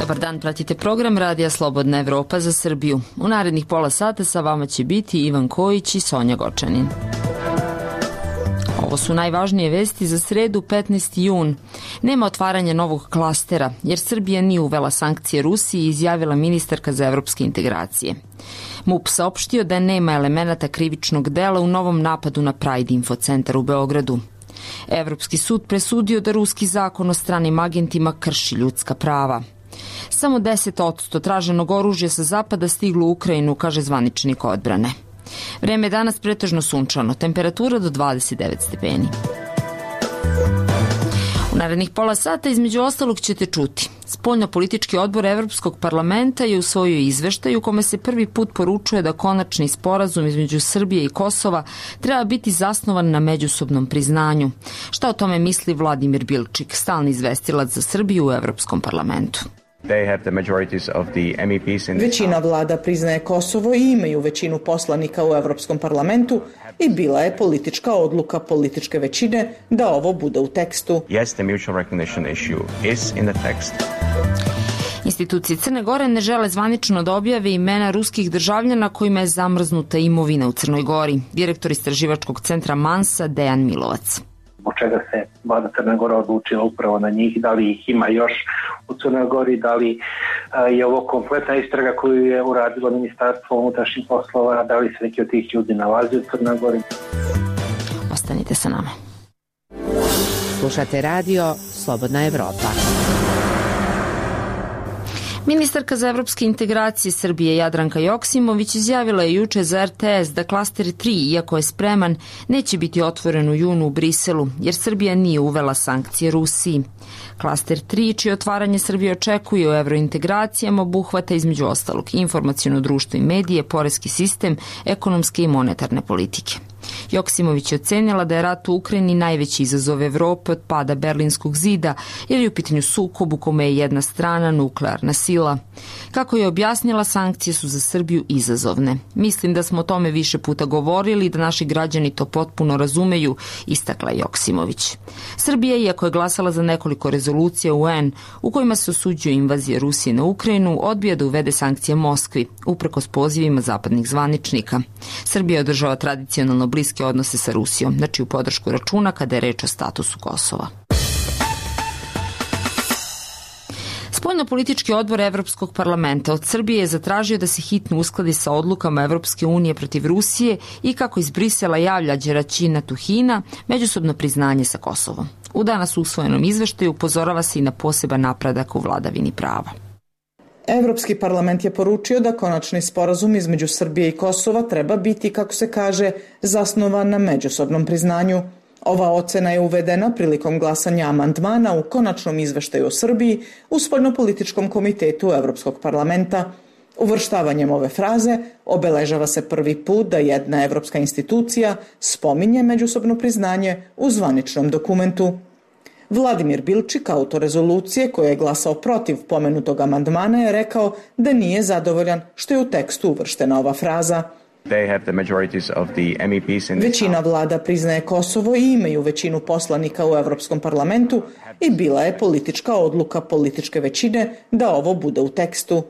Dobar dan, pratite program Radija Slobodna Evropa za Srbiju. U narednih pola sata sa vama će biti Ivan Kojić i Sonja Gočanin. Ovo su najvažnije vesti za sredu 15. jun. Nema otvaranja novog klastera, jer Srbija nije uvela sankcije Rusiji, izjavila ministarka za evropske integracije. MUP saopštio da nema elemenata krivičnog dela u novom napadu na Pride Info centar u Beogradu. Evropski sud presudio da ruski zakon o stranim agentima krši ljudska prava. Samo 10% traženog oružja sa zapada stiglo u Ukrajinu, kaže zvaničnik odbrane. Vreme je danas pretežno sunčano, temperatura do 29 stepeni. U narednih pola sata između ostalog ćete čuti. Spoljno-politički odbor Evropskog parlamenta je usvojio izveštaj u kome se prvi put poručuje da konačni sporazum između Srbije i Kosova treba biti zasnovan na međusobnom priznanju. Šta o tome misli Vladimir Bilčik, stalni izvestilac za Srbiju u Evropskom parlamentu? Većina vlada priznaje Kosovo i imaju većinu poslanika u Evropskom parlamentu i bila je politička odluka političke većine da ovo bude u tekstu. Institucije Crne Gore ne žele zvanično da objave imena ruskih državljana kojima je zamrznuta imovina u Crnoj Gori. Direktor istraživačkog centra Mansa Dejan Milovac. Zbog čega se vlada Crne Gore odlučila upravo na njih, da li ih ima još u Crnoj Gori, da li je ovo kompletna istraga koju je uradilo Ministarstvo unutrašnjih poslova, da li se neki od tih ljudi nalazi u Crnoj Gori. Ostanite sa nama. Slušate radio Slobodna Evropa. Ministarka za evropske integracije Srbije Jadranka Joksimović izjavila je juče za RTS da klaster 3, iako je spreman, neće biti otvoren u junu u Briselu, jer Srbija nije uvela sankcije Rusiji. Klaster 3, čije otvaranje Srbije očekuje u evrointegracijama, obuhvata između ostalog informaciono društvo i medije, poreski sistem, ekonomske i monetarne politike. Joksimović je ocenila da je rat u Ukrajini najveći izazov Evrope od pada Berlinskog zida, jer je u pitanju sukob u kome je jedna strana nuklearna sila. Kako je objasnila, sankcije su za Srbiju izazovne. Mislim da smo o tome više puta govorili i da naši građani to potpuno razumeju, istakla Joksimović. Srbija, iako je glasala za nekoliko rezolucija UN u kojima se osuđuje invazija Rusije na Ukrajinu, odbija da uvede sankcije Moskvi, uprkos pozivima zapadnih zvaničnika. Srbija održava tradicionalno bliske odnose sa Rusijom, na čiju podršku računa kada je reč o statusu Kosova. Spoljno-politički odbor Evropskog parlamenta od Srbije je zatražio da se hitno uskladi sa odlukama Evropske unije protiv Rusije i, kako iz Brisela javlja Đeraćina Tuhina, međusobno priznanje sa Kosovom. U danas usvojenom izveštaju upozorava se i na poseban napredak u vladavini prava. Evropski parlament je poručio da konačni sporazum između Srbije i Kosova treba biti, kako se kaže, zasnovan na međusobnom priznanju. Ova ocena je uvedena prilikom glasanja amandmana u konačnom izveštaju o Srbiji u Spoljnopolitičkom komitetu Evropskog parlamenta. Uvrštavanjem ove fraze obeležava se prvi put da jedna evropska institucija spominje međusobno priznanje u zvaničnom dokumentu. Vladimir Bilčik, autor rezolucije koja je glasao protiv pomenutog amandmana, je rekao da nije zadovoljan što je u tekstu uvrštena ova fraza. Većina vlada priznaje Kosovo i imaju većinu poslanika u Evropskom parlamentu i bila je politička odluka političke većine da ovo bude u tekstu.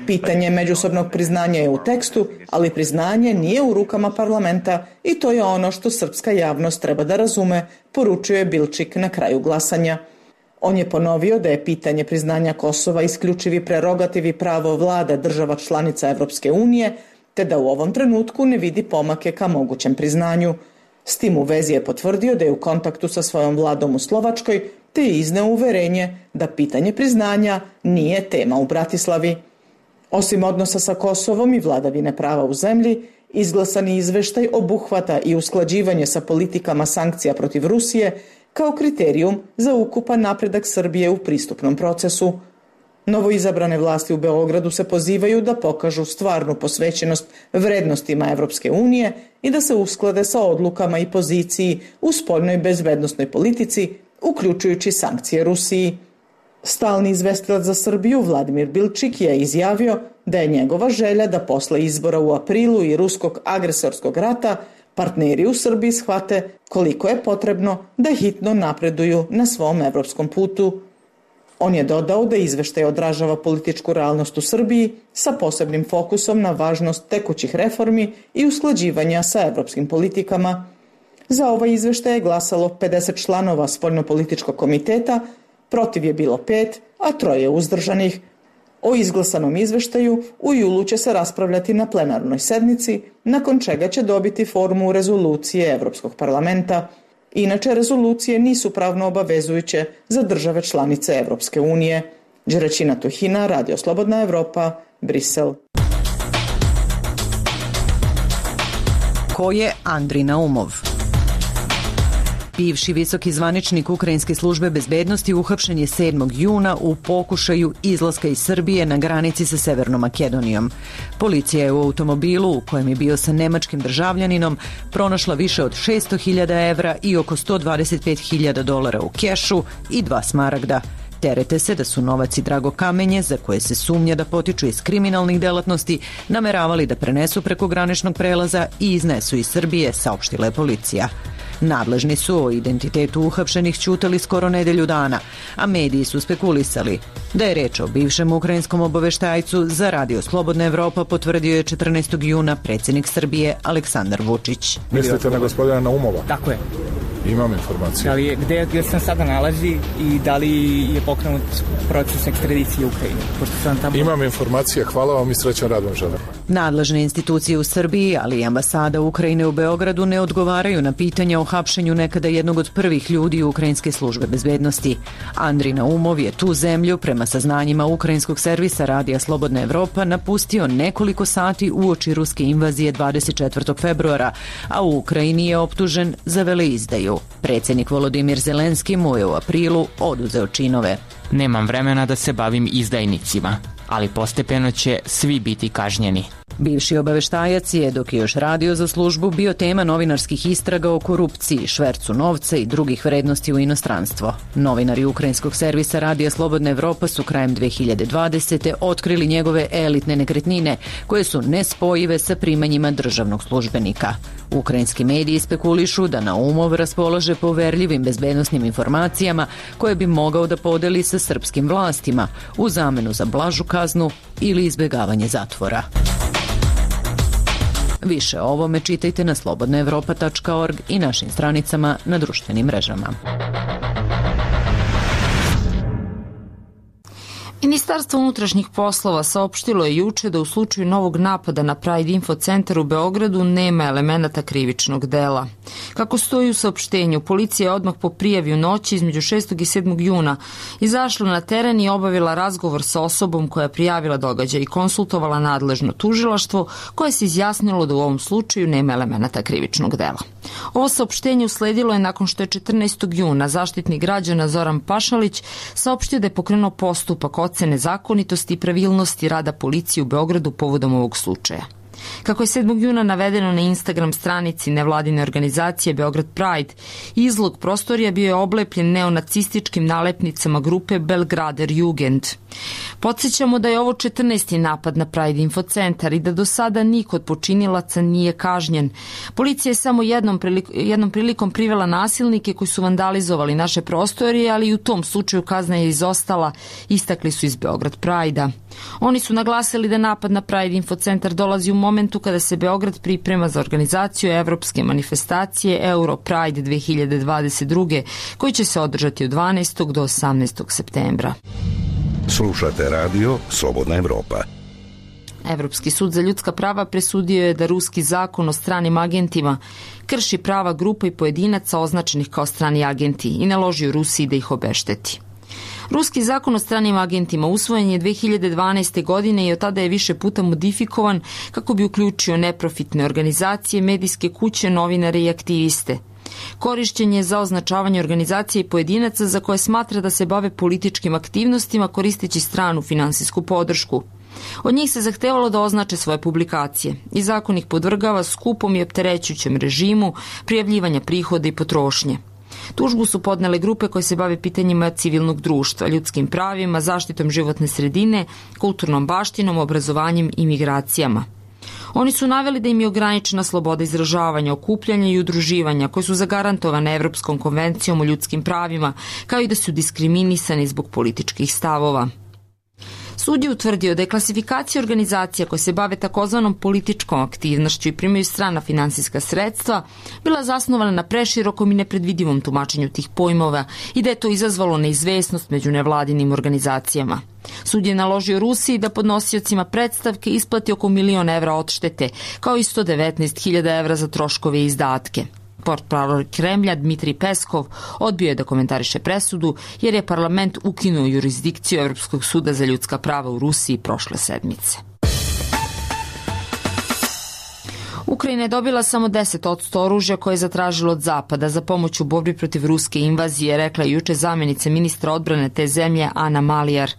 Pitanje međusobnog priznanja je u tekstu, ali priznanje nije u rukama parlamenta i to je ono što srpska javnost treba da razume, poručuje Bilčik na kraju glasanja. On je ponovio da je pitanje priznanja Kosova isključivi prerogativ i pravo vlada država članica Evropske unije, te da u ovom trenutku ne vidi pomake ka mogućem priznanju. S tim u vezi je potvrdio da je u kontaktu sa svojom vladom u Slovačkoj, te je izneo uverenje da pitanje priznanja nije tema u Bratislavi. Osim odnosa sa Kosovom i vladavine prava u zemlji, izglasani izveštaj obuhvata i usklađivanje sa politikama sankcija protiv Rusije kao kriterijum za ukupan napredak Srbije u pristupnom procesu. Novoizabrane vlasti u Beogradu se pozivaju da pokažu stvarnu posvećenost vrednostima Evropske unije i da se usklade sa odlukama i poziciji u spoljnoj bezbednosnoj politici, uključujući sankcije Rusiji. Stalni izvestilac za Srbiju Vladimir Bilčik je izjavio da je njegova želja da posle izbora u aprilu i ruskog agresorskog rata partneri u Srbiji shvate koliko je potrebno da hitno napreduju na svom evropskom putu. On je dodao da izveštaj odražava političku realnost u Srbiji sa posebnim fokusom na važnost tekućih reformi i usklađivanja sa evropskim politikama. Za ovaj izveštaj je glasalo 50 članova spoljnopolitičkog komiteta, protiv je bilo 5, a 3 uzdržanih. O izglasanom izveštaju u julu će se raspravljati na plenarnoj sednici, nakon čega će dobiti formu rezolucije Evropskog parlamenta. Inače, rezolucije nisu pravno obavezujuće za države članice Evropske unije. Đeračina Tuhina, Radio Slobodna Evropa, Brisel. Ko je Andrij Naumov? Bivši visoki zvaničnik Ukrajinske službe bezbednosti uhapšen je 7. juna u pokušaju izlaska iz Srbije na granici sa Severnom Makedonijom. Policija je u automobilu u kojem je bio sa nemačkim državljaninom pronašla više od 600.000 evra i oko $125.000 u kešu i 2 smaragda. Terete se da su novac i drago kamenje, za koje se sumnja da potiču iz kriminalnih delatnosti, nameravali da prenesu preko graničnog prelaza i iznesu iz Srbije, saopštila je policija. Nadležni su o identitetu uhapšenih ćutali skoro nedelju dana, a mediji su spekulisali da je reč o bivšem ukrajinskom obaveštajcu. Za Radio Slobodna Evropa potvrdio je 14. juna predsjednik Srbije Aleksandar Vučić. Mislite na gospodina Naumova? Tako je. Imam informacije. Da li je, gde se sada nalazi i da li je pokrenut proces ekstradicije u Ukrajini? Imam informacije, hvala vam i srećan rad vam želim. Nadležne institucije u Srbiji, ali i ambasada Ukrajine u Beogradu ne odgovaraju na pitanja o hapšenju nekada jednog od prvih ljudi Ukrajinske službe bezbednosti. Andrij Naumov je tu zemlju, prema saznanjima ukrajinskog servisa Radija Slobodna Evropa, napustio nekoliko sati uoči ruske invazije 24. februara, a u Ukrajini je optužen za veleizdaju. Predsjednik Volodimir Zelenski mu je u aprilu oduzeo činove. Nemam vremena da se bavim izdajnicima, ali postepeno će svi biti kažnjeni. Bivši obaveštajac je, dok je još radio za službu, bio tema novinarskih istraga o korupciji, švercu novca i drugih vrednosti u inostranstvo. Novinari ukrajinskog servisa Radija Slobodna Evropa su krajem 2020. otkrili njegove elitne nekretnine, koje su nespojive sa primanjima državnog službenika. Ukrajinski mediji spekulišu da Naumov raspolaže poverljivim bezbednosnim informacijama koje bi mogao da podeli sa srpskim vlastima u zamenu za blažu kaznu ili izbjegavanje zatvora. Više o ovome čitajte na slobodnaevropa.org i našim stranicama na društvenim mrežama. Ministarstvo unutrašnjih poslova saopštilo je juče da u slučaju novog napada na Pride Info centar u Beogradu nema elemenata krivičnog dela. Kako stoji u saopštenju, policija je odmah po prijavi u noći između 6. i 7. juna izašla na teren i obavila razgovor sa osobom koja je prijavila događaj i konsultovala nadležno tužilaštvo koje se izjasnilo da u ovom slučaju nema elemenata krivičnog dela. Ovo saopštenje usledilo je nakon što je 14. juna Zaštitnik građana Zoran Pašalić saopštio da je pokrenuo postupak ocene zakonitosti i pravilnosti rada policije u Beogradu povodom ovog slučaja. Kako je 7. juna navedeno na Instagram stranici nevladine organizacije Beograd Pride, izlog prostorija bio je oblepljen neonacističkim nalepnicama grupe Belgrader Jugend. Podsjećamo da je ovo 14. napad na Pride Info centar i da do sada niko od počinilaca nije kažnjen. Policija je samo jednom prilikom privela nasilnike koji su vandalizovali naše prostorije, ali i u tom slučaju kazna je izostala, istakli su iz Beograd Pride-a. Oni su naglasili da napad na Pride Info centar dolazi u momentu kada se Beograd priprema za organizaciju evropske manifestacije Euro Pride 2022. koji će se održati od 12. do 18. septembra. Slušate radio Slobodna Evropa. Evropski sud za ljudska prava presudio je da ruski zakon o stranim agentima krši prava grupa i pojedinaca označenih kao strani agenti i naložio Rusiji da ih obešteti. Ruski zakon o stranim agentima usvojen je 2012. godine i od tada je više puta modifikovan kako bi uključio neprofitne organizacije, medijske kuće, novinare i aktiviste. Korišćen je za označavanje organizacije i pojedinaca za koje smatra da se bave političkim aktivnostima koristeći stranu finansijsku podršku. Od njih se zahtevalo da označe svoje publikacije i zakon ih podvrgava skupom i opterećućem režimu prijavljivanja prihoda i potrošnje. Tužbu su podnele grupe koje se bave pitanjima civilnog društva, ljudskim pravima, zaštitom životne sredine, kulturnom baštinom, obrazovanjem i migracijama. Oni su naveli da im je ograničena sloboda izražavanja, okupljanja i udruživanja koje su zagarantovane Evropskom konvencijom o ljudskim pravima, kao i da su diskriminisani zbog političkih stavova. Sud je utvrdio da je klasifikacija organizacija koje se bave takozvanom političkom aktivnošću i primaju strana finansijska sredstva bila zasnovana na preširokom i nepredvidivom tumačenju tih pojmova i da je to izazvalo neizvesnost među nevladinim organizacijama. Sud je naložio Rusiji da podnosiocima predstavke isplati oko 1.000.000 evra odštete, kao i 119.000 evra za troškove i izdatke. Portparol Kremlja Dmitrij Peskov odbio je da komentariše presudu jer je parlament ukinuo jurisdikciju Evropskog suda za ljudska prava u Rusiji prošle sedmice. Ukrajina je dobila samo 10% oružja koje je zatražilo od Zapada za pomoć u borbi protiv ruske invazije, rekla je juče zamjenica ministra odbrane te zemlje Ana Malijar.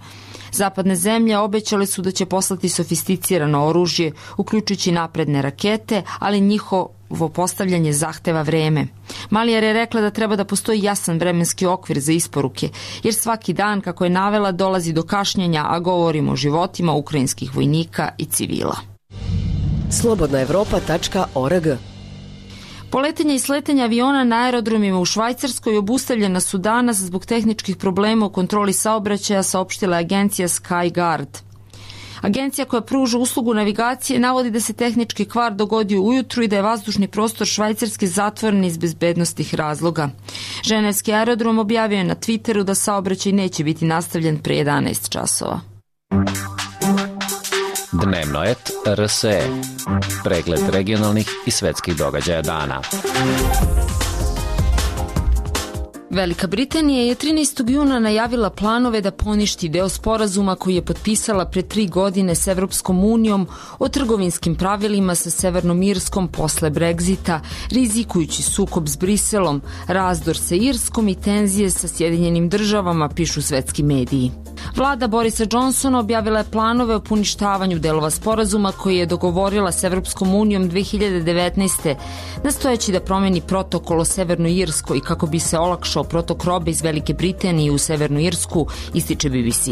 Zapadne zemlje obećale su da će poslati sofisticirano oružje, uključujući napredne rakete, ali njihovo postavljanje zahteva vreme. Malijar je rekla da treba da postoji jasan vremenski okvir za isporuke, jer svaki dan, kako je navela, dolazi do kašnjenja, a govorimo o životima ukrajinskih vojnika i civila. Slobodnaevropa.org. Poletenja i sletanja aviona na aerodromima u Švajcarskoj obustavljena su danas zbog tehničkih problema u kontroli saobraćaja, saopštila agencija SkyGuard. Agencija koja pruža uslugu navigacije navodi da se tehnički kvar dogodio ujutru i da je vazdušni prostor Švajcarske zatvoren iz bezbednostnih razloga. Ženevski aerodrom objavio je na Twitteru da saobraćaj neće biti nastavljen pre 11 časova. Dnevnoet RSE. Pregled regionalnih i svetskih događaja dana. Velika Britanija je 13. juna najavila planove da poništi deo sporazuma koji je potpisala pre 3 godine s Evropskom unijom o trgovinskim pravilima sa Severnom Irskom posle Brexita, rizikujući sukob s Briselom, razdor sa Irskom i tenzije sa Sjedinjenim državama, pišu svetski mediji. Vlada Borisa Johnsona objavila je planove o poništavanju delova sporazuma koji je dogovorila s Evropskom unijom 2019. nastojeći da promeni protokol o Severnoj Irskoj kako bi se olakšao protok robe iz Velike Britanije u Severnu Irsku, ističe BBC.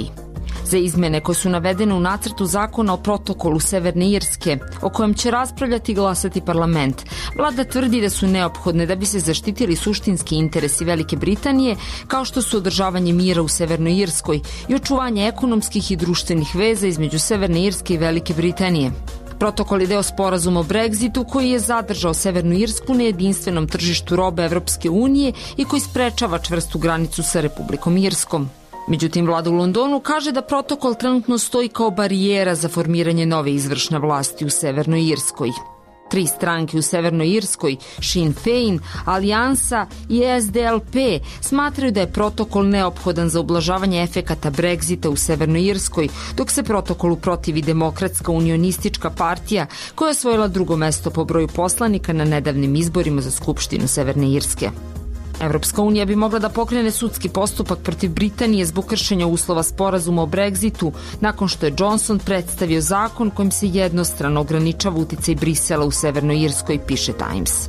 Za izmene koje su navedene u nacrtu zakona o protokolu Severne Irske, o kojem će raspravljati i glasati parlament, vlada tvrdi da su neophodne da bi se zaštitili suštinski interesi Velike Britanije, kao što su održavanje mira u Severnoj Irskoj i očuvanje ekonomskih i društvenih veza između Severne Irske i Velike Britanije. Protokol je deo sporazuma o Brexitu koji je zadržao Severnu Irsku na jedinstvenom tržištu robe Evropske unije i koji sprečava čvrstu granicu sa Republikom Irskom. Međutim, vlada u Londonu kaže da protokol trenutno stoji kao barijera za formiranje nove izvršne vlasti u Severnoj Irskoj. 3 stranke u Severnoj Irskoj, Sinn Féin, Alijansa i SDLP, smatraju da je protokol neophodan za ublažavanje efekata Brexita u Severnoj Irskoj, dok se protokolu protivi Demokratska unionistička partija, koja je osvojila 2. mesto po broju poslanika na nedavnim izborima za Skupštinu Severne Irske. Evropska unija bi mogla da pokrene sudski postupak protiv Britanije zbog kršenja uslova sporazuma o Brexitu, nakon što je Johnson predstavio zakon kojim se jednostrano ograničava uticaj Brisela u Severnoj Irskoj, piše Times.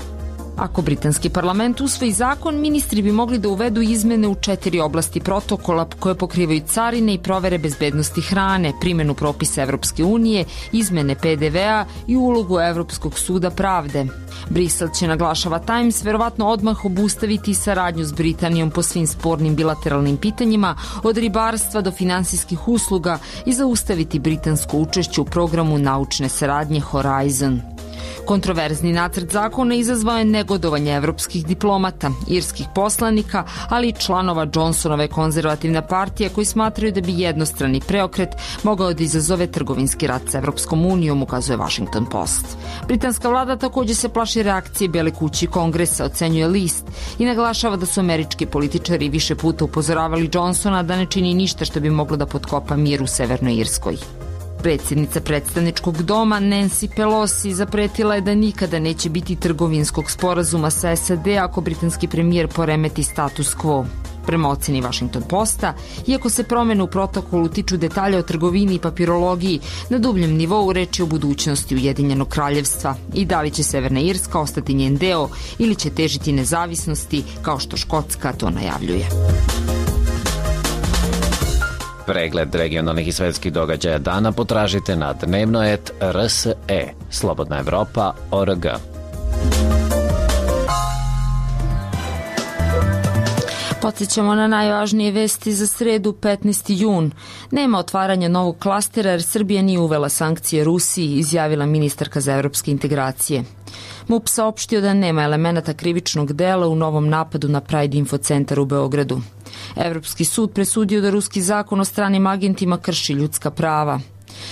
Ako britanski parlament usvoji zakon, ministri bi mogli da uvedu izmene u 4 oblasti protokola koje pokrivaju carine i provere bezbednosti hrane, primjenu propisa Evropske unije, izmene PDV-a i ulogu Evropskog suda pravde. Brisel će, naglašava Times, verovatno odmah obustaviti saradnju s Britanijom po svim spornim bilateralnim pitanjima, od ribarstva do finansijskih usluga, i zaustaviti britansko učešće u programu naučne saradnje Horizon. Kontroverzni nacrt zakona izazvao je negodovanje evropskih diplomata, irskih poslanika, ali i članova Johnsonove konzervativne partije koji smatraju da bi jednostrani preokret mogao da izazove trgovinski rat sa Evropskom unijom, ukazuje Washington Post. Britanska vlada takođe se plaši reakcije Bele kuće i Kongresa, ocenjuje list, i naglašava da su američki političari više puta upozoravali Johnsona da ne čini ništa što bi moglo da potkopa mir u Severnoj Irskoj. Predsjednica predstavničkog doma Nancy Pelosi zapretila je da nikada neće biti trgovinskog sporazuma sa SAD ako britanski premijer poremeti status quo. Prema oceni Washington Posta, iako se promene u protokolu tiču detalja o trgovini i papirologiji, na dubljem nivou reč je o budućnosti Ujedinjenog kraljevstva i da li će Severna Irska ostati njen deo ili će težiti nezavisnosti kao što Škotska to najavljuje. Pregled regionalnih i svetskih događaja dana potražite na dnevno.rs.e, slobodnaevropa.org. Podsjećamo na najvažnije vesti za sredu 15. jun. Nema otvaranja novog klastera jer Srbija nije uvela sankcije Rusiji, izjavila ministarka za evropske integracije. MUP saopštio da nema elemenata krivičnog dela u novom napadu na Pride Info centar u Beogradu. Evropski sud presudio da ruski zakon o stranim agentima krši ljudska prava.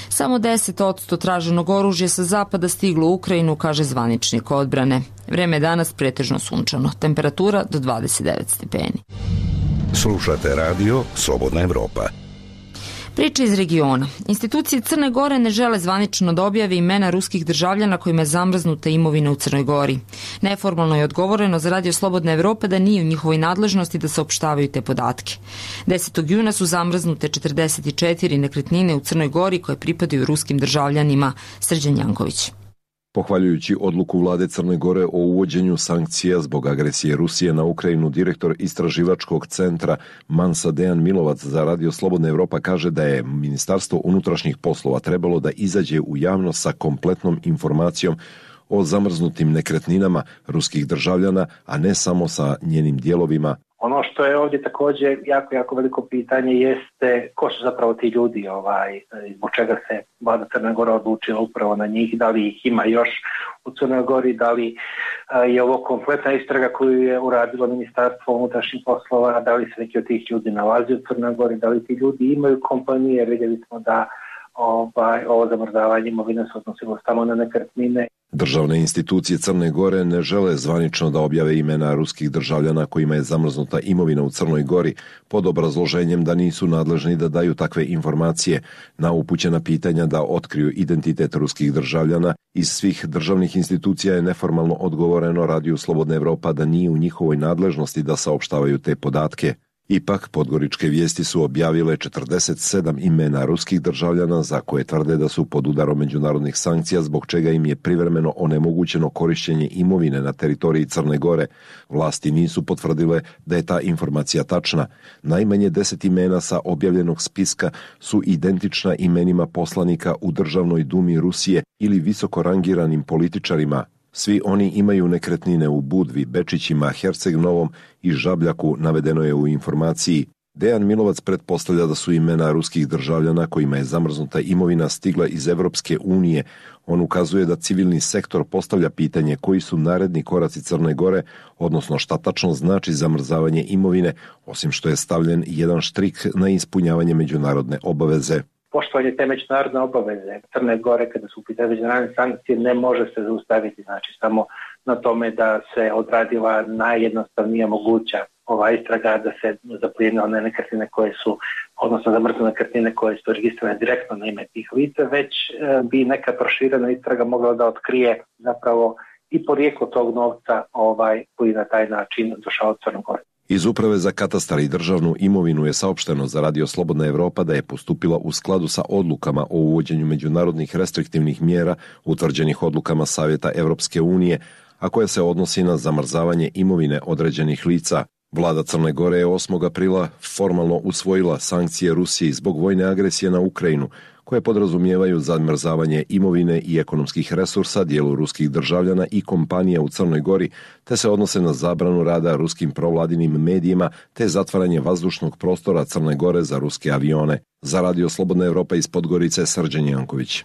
Samo 10% traženog oružja sa zapada stiglo u Ukrajinu, kaže zvaničnik odbrane. Vreme je danas pretežno sunčano. Temperatura do 29 stepeni. Slušate radio Slobodna Evropa. Priča iz regiona. Institucije Crne Gore ne žele zvanično da objave imena ruskih državljana kojima je zamrznuta imovina u Crnoj Gori. Neformalno je odgovoreno za radio Slobodne Evrope da nije u njihovoj nadležnosti da saopštavaju te podatke. 10. juna su zamrznute 44 nekretnine u Crnoj Gori koje pripadaju ruskim državljanima. Srđan Janković. Pohvaljujući odluku vlade Crne Gore o uvođenju sankcija zbog agresije Rusije na Ukrajinu, direktor istraživačkog centra Mansa Dejan Milovac za radio Slobodna Evropa kaže da je Ministarstvo unutrašnjih poslova trebalo da izađe u javnost sa kompletnom informacijom o zamrznutim nekretninama ruskih državljana, a ne samo sa njenim dijelovima. Ono što je ovdje također jako veliko pitanje jeste ko su zapravo ti ljudi, zbog čega se vlada Crne Gore odlučila upravo na njih, da li ih ima još u Crnoj Gori, da li je ovo kompletna istraga koju je uradilo Ministarstvo unutrašnjih poslova, da li se neki od tih ljudi nalazi u Crnoj Gori, da li ti ljudi imaju kompanije, vidjeli smo da ovo zamrzavanje imovine se odnosilo samo na nekretnine. Državne institucije Crne Gore ne žele zvanično da objave imena ruskih državljana kojima je zamrznuta imovina u Crnoj Gori pod obrazloženjem da nisu nadležni da daju takve informacije. Na upućena pitanja da otkriju identitet ruskih državljana iz svih državnih institucija je neformalno odgovoreno radiju Slobodna Evropa da nije u njihovoj nadležnosti da saopštavaju te podatke. Ipak, podgoričke vijesti su objavile 47 imena ruskih državljana za koje tvrde da su pod udarom međunarodnih sankcija, zbog čega im je privremeno onemogućeno korištenje imovine na teritoriji Crne Gore. Vlasti nisu potvrdile da je ta informacija tačna. Najmanje 10 imena sa objavljenog spiska su identična imenima poslanika u Državnoj dumi Rusije ili visoko rangiranim političarima. Svi oni imaju nekretnine u Budvi, Bečićima, Herceg Novom i Žabljaku, navedeno je u informaciji. Dejan Milovac pretpostavlja da su imena ruskih državljana kojima je zamrznuta imovina stigla iz Evropske unije. On ukazuje da civilni sektor postavlja pitanje koji su naredni koraci Crne Gore, odnosno šta tačno znači zamrzavanje imovine, osim što je stavljen jedan štrik na ispunjavanje međunarodne obaveze. Poštovanje te međunarodne obaveze Crne Gore kada su u pitanju međunarodne sankcije ne može se zaustaviti, znači samo na tome da se odradila najjednostavnija moguća ova istraga, da se zaplijene one nekretnine koje su, odnosno zamrznute nekretnine koje su registrirane direktno na ime tih lica, već bi neka proširena istraga mogla da otkrije zapravo i porijeklo tog novca koji na taj način došao od Crne Gore. Iz Uprave za katastar i državnu imovinu je saopšteno za radio Slobodna Evropa da je postupila u skladu sa odlukama o uvođenju međunarodnih restriktivnih mjera utvrđenih odlukama Savjeta Evropske unije, a koja se odnosi na zamrzavanje imovine određenih lica. Vlada Crne Gore je 8. aprila formalno usvojila sankcije Rusiji zbog vojne agresije na Ukrajinu, koje podrazumijevaju zamrzavanje imovine i ekonomskih resursa dijelu ruskih državljana i kompanija u Crnoj Gori, te se odnose na zabranu rada ruskim provladinim medijima te zatvaranje vazdušnog prostora Crne Gore za ruske avione. Za radio Slobodna Evropa iz Podgorice, Srđan Janković.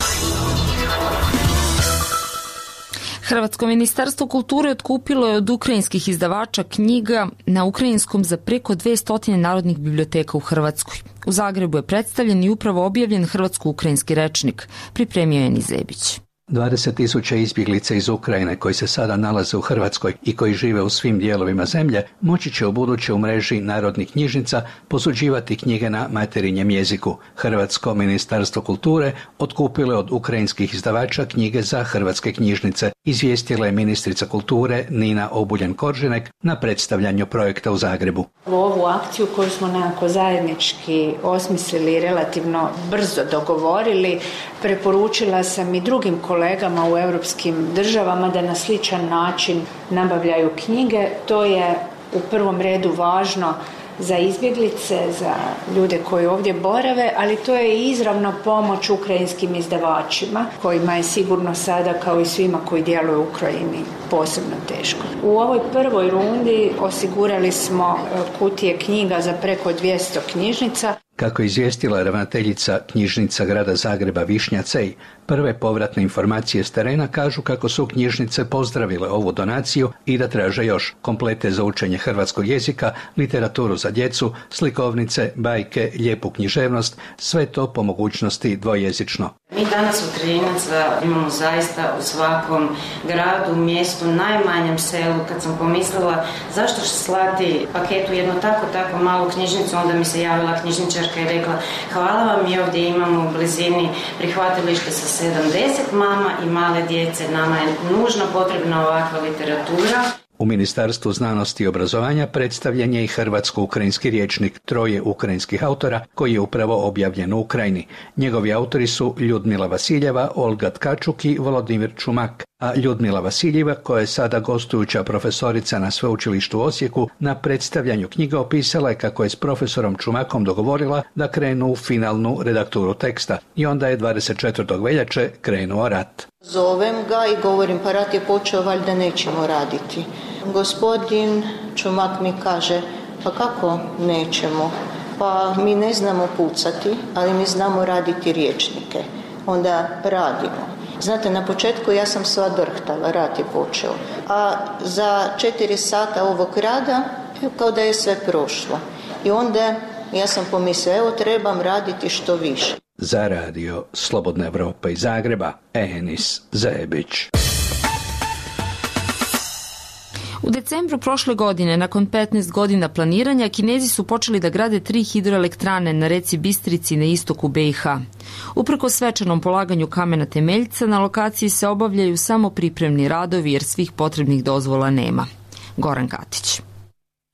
Hrvatsko ministarstvo kulture otkupilo je od ukrajinskih izdavača knjiga na ukrajinskom za preko 200 narodnih biblioteka u Hrvatskoj. U Zagrebu je predstavljen i upravo objavljen hrvatsko-ukrajinski rečnik, pripremio je Nizebić. 20.000 izbjeglica iz Ukrajine koji se sada nalaze u Hrvatskoj i koji žive u svim dijelovima zemlje moći će ubuduće u mreži narodnih knjižnica posuđivati knjige na materinjem jeziku. Hrvatsko ministarstvo kulture otkupilo je od ukrajinskih izdavača knjige za hrvatske knjižnice. izvijestila je ministrica kulture Nina Obuljen-Koržinek na predstavljanju projekta u Zagrebu. Ovu akciju koju smo nekako zajednički osmislili, relativno brzo dogovorili, preporučila sam i drugim kolegama u europskim državama da na sličan način nabavljaju knjige. To je u prvom redu važno za izbjeglice, za ljude koji ovdje borave, ali to je i izravno pomoć ukrajinskim izdavačima, kojima je sigurno sada, kao i svima koji djeluju u Ukrajini, posebno teško. U ovoj prvoj rundi osigurali smo kutije knjiga za preko 200 knjižnica. Kako je izvijestila ravnateljica knjižnica grada Zagreba Višnja Cej, prve povratne informacije s terena kažu kako su knjižnice pozdravile ovu donaciju i da traže još komplete za učenje hrvatskog jezika, literaturu za djecu, slikovnice, bajke, lijepu književnost, sve to po mogućnosti dvojezično. Mi danas u Trinaca imamo zaista u svakom gradu, mjestu, najmanjem selu. Kad sam pomislila zašto slati paket u jednu tako malu knjižnicu, onda mi se javila knjižničarka i rekla hvala vam, mi ovdje imamo u blizini prihvatilište sa 70 mama i male djece, nama je nužno potrebna ovakva literatura. U Ministarstvu znanosti i obrazovanja predstavljen je i hrvatsko-ukrajinski rječnik 3 ukrajinskih autora koji je upravo objavljen u Ukrajini. Njegovi autori su Ljudmila Vasiljeva, Olga Tkačuk i Volodimir Čumak, a Ljudmila Vasiljeva, koja je sada gostujuća profesorica na Sveučilištu u Osijeku, na predstavljanju knjiga opisala je kako je s profesorom Čumakom dogovorila da krenu u finalnu redakturu teksta i onda je 24. veljače krenuo rat. Zovem ga i govorim, pa rat je počeo, valjda nećemo raditi. Gospodin Čumak mi kaže, pa kako nećemo? Pa mi ne znamo pucati, ali mi znamo raditi rječnike. Onda radimo. Znate, na početku ja sam sva drhtala, rat je počeo. A za 4 sata ovog rada, kao da je sve prošlo. I onda ja sam pomislila, evo trebam raditi što više. Za radio Slobodna Evropa iz Zagreba, Enis Zajebić. U decembru prošle godine, nakon 15 godina planiranja, Kinezi su počeli da grade 3 hidroelektrane na reci Bistrici na istoku BiH. Uprkos svečanom polaganju kamena temeljca, na lokaciji se obavljaju samo pripremni radovi jer svih potrebnih dozvola nema. Goran Katić.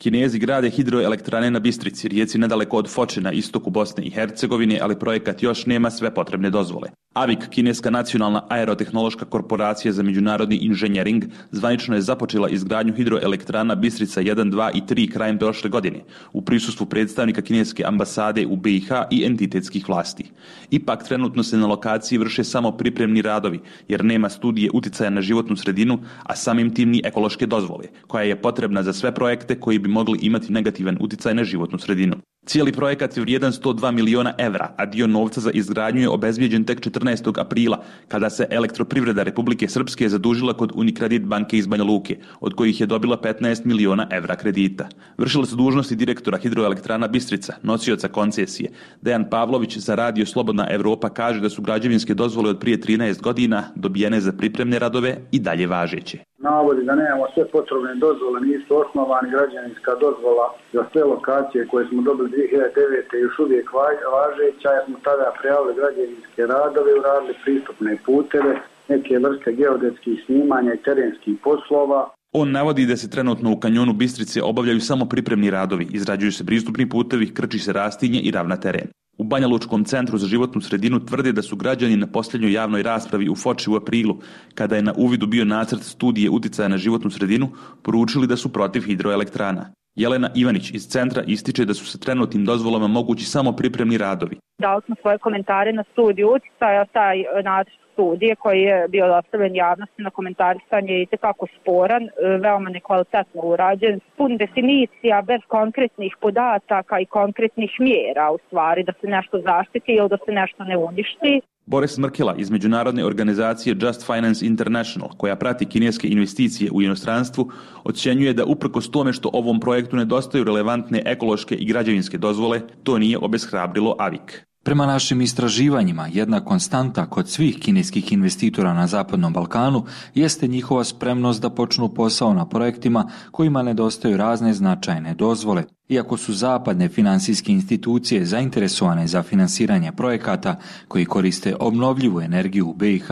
Kinezi grade hidroelektrane na Bistrici, rijeci nedaleko od Foče na istoku Bosne i Hercegovine, ali projekat još nema sve potrebne dozvole. AVIK, kineska nacionalna aerotehnološka korporacija za međunarodni inženjering, zvanično je započela izgradnju hidroelektrana Bistrica 1, 2 i 3 krajem prošle godine, u prisustvu predstavnika kineske ambasade u BiH i entitetskih vlasti. Ipak, trenutno se na lokaciji vrše samo pripremni radovi, jer nema studije uticaja na životnu sredinu, a samim tim ni ekološke dozvole, koja je potrebna za sve projekte koji bi mogli imati negativan uticaj na životnu sredinu. Cijeli projekat je vrijedan 102 miliona evra, a dio novca za izgradnju je obezbijeđen tek 14. aprila, kada se Elektroprivreda Republike Srpske zadužila kod Unikredit banke iz Banja Luke, od kojih je dobila 15 miliona evra kredita. Vršila su dužnosti direktora hidroelektrana Bistrica, nosioca koncesije. Dejan Pavlović za radio Slobodna Evropa kaže da su građevinske dozvole od prije 13 godina dobijene za pripremne radove i dalje važeće. Navodi da nemamo sve potrebne dozvole, nisu osnovani, građevinska dozvola za sve lokacije koje smo dobili 2009. još uvijek važeća, jer smo tada prijavili građevinske radove, uradili pristupne puteve, neke vrste geodetskih snimanja i terenskih poslova. On navodi da se trenutno u kanjonu Bistrice obavljaju samo pripremni radovi, izrađuju se pristupni putevi, krči se rastinje i ravna teren. U Banja Lučkom centru za životnu sredinu tvrde da su građani na posljednjoj javnoj raspravi u Foči u aprilu, kada je na uvidu bio nacrt studije uticaja na životnu sredinu, poručili da su protiv hidroelektrana. Jelena Ivanić iz centra ističe da su sa trenutnim dozvolama mogući samo pripremni radovi. Dali smo svoje komentare na studiju uticaja, taj nacrt studije koji je bio dostavljen javnosti na komentarisanje je itekako sporan, veoma nekvalitetno urađen, pun definicija bez konkretnih podataka i konkretnih mjera, u stvari da se nešto zaštiti ili da se nešto ne uništi. Boris Mrkela iz međunarodne organizacije Just Finance International, koja prati kineske investicije u inostranstvu, ocjenjuje da uprkos tome što ovom projektu nedostaju relevantne ekološke i građevinske dozvole, to nije obeshrabrilo AVIK. Prema našim istraživanjima, jedna konstanta kod svih kineskih investitora na Zapadnom Balkanu jeste njihova spremnost da počnu posao na projektima kojima nedostaju razne značajne dozvole. Iako su zapadne finansijske institucije zainteresovane za finansiranje projekata koji koriste obnovljivu energiju u BiH,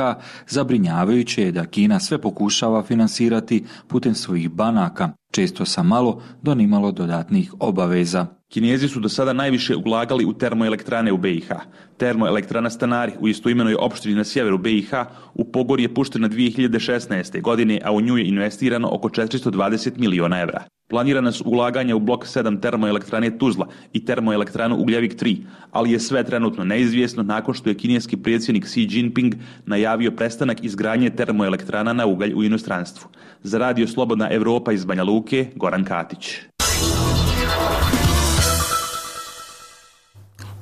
zabrinjavajuće je da Kina sve pokušava finansirati putem svojih banaka, često sa malo do nimalo dodatnih obaveza. Kinezi su do sada najviše ulagali u termoelektrane u BiH. Termoelektrana Stanari u istoimenoj opštini na sjeveru BiH u pogon je puštena 2016. godine, a u nju je investirano oko 420 miliona evra. Planirana su ulaganja u blok 7 termoelektrane Tuzla i termoelektranu Ugljevik 3, ali je sve trenutno neizvjesno nakon što je kineski predsjednik Xi Jinping najavio prestanak izgradnje termoelektrana na ugalj u inostranstvu. Za Radio Slobodna Evropa iz Banja Luke, Goran Katić.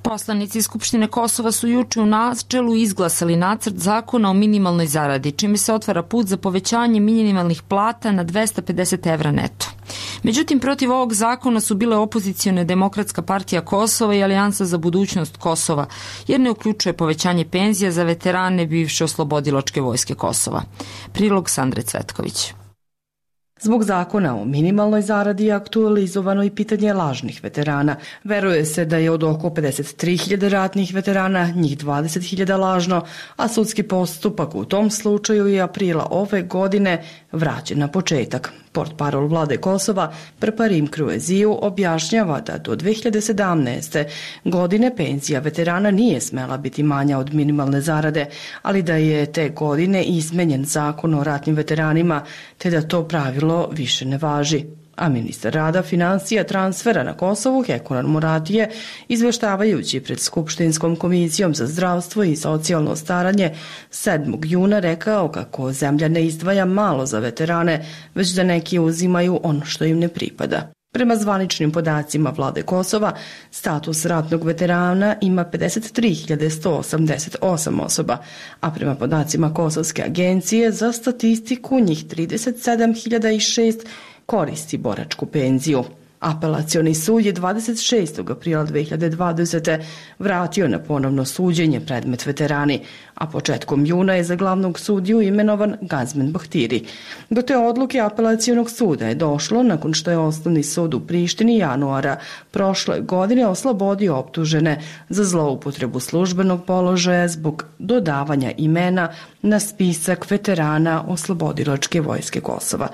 Poslanici Skupštine Kosova su juče u načelu izglasali nacrt zakona o minimalnoj zaradi, čime se otvara put za povećanje minimalnih plata na 250 evra neto. Međutim, protiv ovog zakona su bile opozicione Demokratska partija Kosova i Alijansa za budućnost Kosova, jer ne uključuje povećanje penzija za veterane bivše oslobodilačke vojske Kosova. Prilog Sandre Cvetković. Zbog zakona o minimalnoj zaradi je aktualizovano i pitanje lažnih veterana. Veruje se da je od oko 53.000 ratnih veterana, njih 20.000 lažno, a sudski postupak u tom slučaju je aprila ove godine vraćen na početak. Portparol vlade Kosova, Prparim Krueziju, objašnjava da do 2017. godine penzija veterana nije smela biti manja od minimalne zarade, ali da je te godine izmenjen zakon o ratnim veteranima, te da to pravilo više ne važi. A ministar rada, financija, transfera na Kosovu, Hekuran Muratije, izveštavajući pred Skupštinskom komisijom za zdravstvo i socijalno staranje 7. juna rekao kako zemlja ne izdvaja malo za veterane, već da neki uzimaju ono što im ne pripada. Prema zvaničnim podacima vlade Kosova, status ratnog veterana ima 53.188 osoba, a prema podacima Kosovske agencije za statistiku njih 37.006 koristi boračku penziju. Apelacioni sud je 26. aprila 2020. vratio na ponovno suđenje predmet veterani, a početkom juna je za glavnog sudiju imenovan Gazmen Bahtiri. Do te odluke apelacionog suda je došlo nakon što je Osnovni sud u Prištini januara prošle godine oslobodio optužene za zloupotrebu službenog položaja zbog dodavanja imena na spisak veterana oslobodilačke vojske Kosova.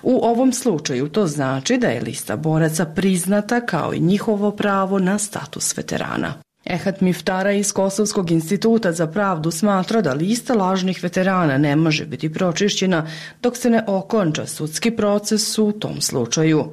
U ovom slučaju to znači da je lista boraca priznata kao i njihovo pravo na status veterana. Ehat Miftara iz Kosovskog instituta za pravdu smatra da lista lažnih veterana ne može biti pročišćena dok se ne okonča sudski proces u tom slučaju.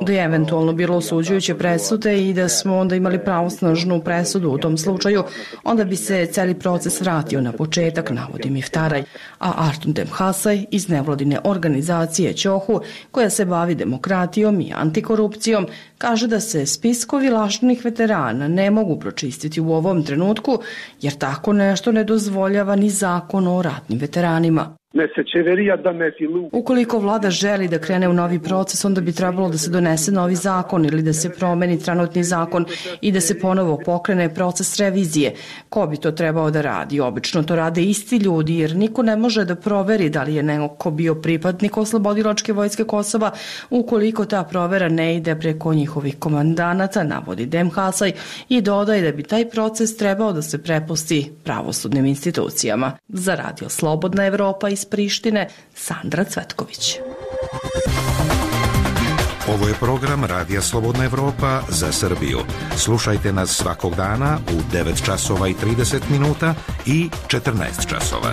Da je eventualno bilo osuđujuće presude i da smo onda imali pravosnažnu presudu u tom slučaju, onda bi se celi proces vratio na početak, navodi Miftaraj. A Artun Demhasaj iz nevladine organizacije Ćohu, koja se bavi demokratijom i antikorupcijom, kaže da se spiskovi lažnih veterana ne mogu pročistiti u ovom trenutku, jer tako nešto ne dozvoljava ni zakon o ratnim veteranima. Ukoliko vlada želi da krene u novi proces, onda bi trebalo da se donese novi zakon ili da se promeni trenutni zakon i da se ponovo pokrene proces revizije. Ko bi to trebao da radi? Obično to rade isti ljudi, jer niko ne može da proveri da li je neko bio pripadnik oslobodilačke vojske Kosova ukoliko ta provera ne ide preko njihovih komandanata, navodi Demhasaj, i dodaje da bi taj proces trebao da se prepusti pravosudnim institucijama. Za Radio Slobodna Evropa iz Prištine, Sandra Cvetković. Ovo je program Radija Slobodna Evropa za Srbiju. Slušajte nas svakog dana u 9 časova i 30 minuta i 14 časova.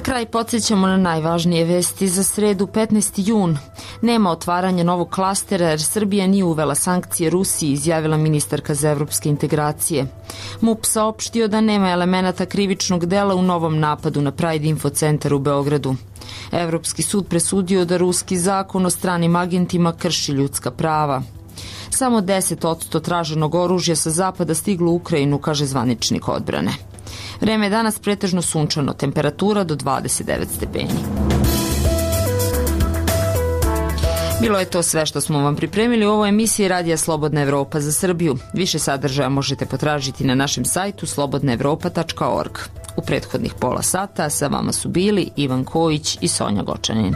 Kraj podsjećamo na najvažnije vesti za sredu 15. jun. Nema otvaranja novog klastera jer Srbija nije uvela sankcije Rusiji, izjavila ministarka za evropske integracije. MUP saopštio da nema elemenata krivičnog dela u novom napadu na Pride Info centar u Beogradu. Evropski sud presudio da ruski zakon o stranim agentima krši ljudska prava. Samo 10% traženog oružja sa zapada stiglo u Ukrajinu, kaže zvaničnik odbrane. Vreme je danas pretežno sunčano, temperatura do 29 stepeni. Bilo je to sve što smo vam pripremili u ovoj emisiji Radija Slobodna Evropa za Srbiju. Više sadržaja možete potražiti na našem sajtu slobodnaevropa.org. U prethodnih pola sata sa vama su bili Ivan Kojić i Sonja Gočanin.